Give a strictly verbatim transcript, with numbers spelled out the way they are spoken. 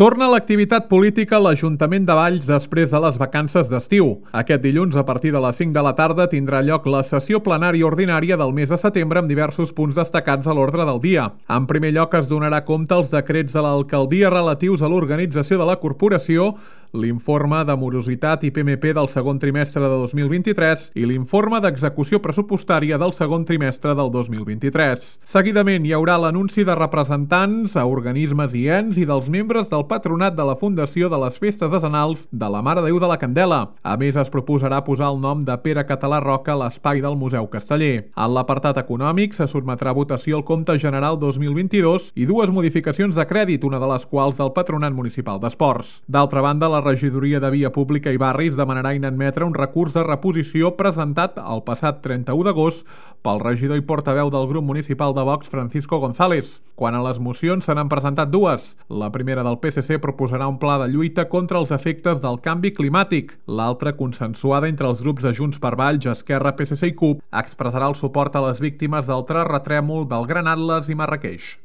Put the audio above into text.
Torna l'activitat política a l'Ajuntament de Valls després de les vacances d'estiu. Aquest dilluns, a partir de les cinc de la tarda, tindrà lloc la sessió plenària ordinària del mes de setembre amb diversos punts destacats a l'ordre del dia. En primer lloc, es donarà compte als decrets de l'alcaldia relatius a l'organització de la corporació, l'informe de morositat i P M P del segon trimestre de dos mil vint-i-tres i l'informe d'execució pressupostària del segon trimestre del dos mil vint-i-tres. Seguidament, hi haurà l'anunci de representants a organismes i ens i dels membres del patronat de la Fundació de les Festes Decenals de la Mare de Déu de la Candela. A més, es proposarà posar el nom de Pere Català Roca a l'espai del Museu Casteller. En l'apartat econòmic, se sotmetrà a votació el compte general dos mil vint-i-dos i dues modificacions de crèdit, una de les quals del Patronat Municipal d'Esports. D'altra banda, la Regidoria de Via Pública i Barris demanarà inadmetre un recurs de reposició presentat el passat trenta-u d'agost pel regidor i portaveu del grup municipal de Vox, Francisco González. Quant a les mocions, se n'han presentat dues. La primera del P S C proposarà un pla de lluita contra els efectes del canvi climàtic. L'altra, consensuada entre els grups de Junts per Valls, Esquerra, P S C i C U P, expressarà el suport a les víctimes del terratrèmol del Gran Atles i Marràqueix.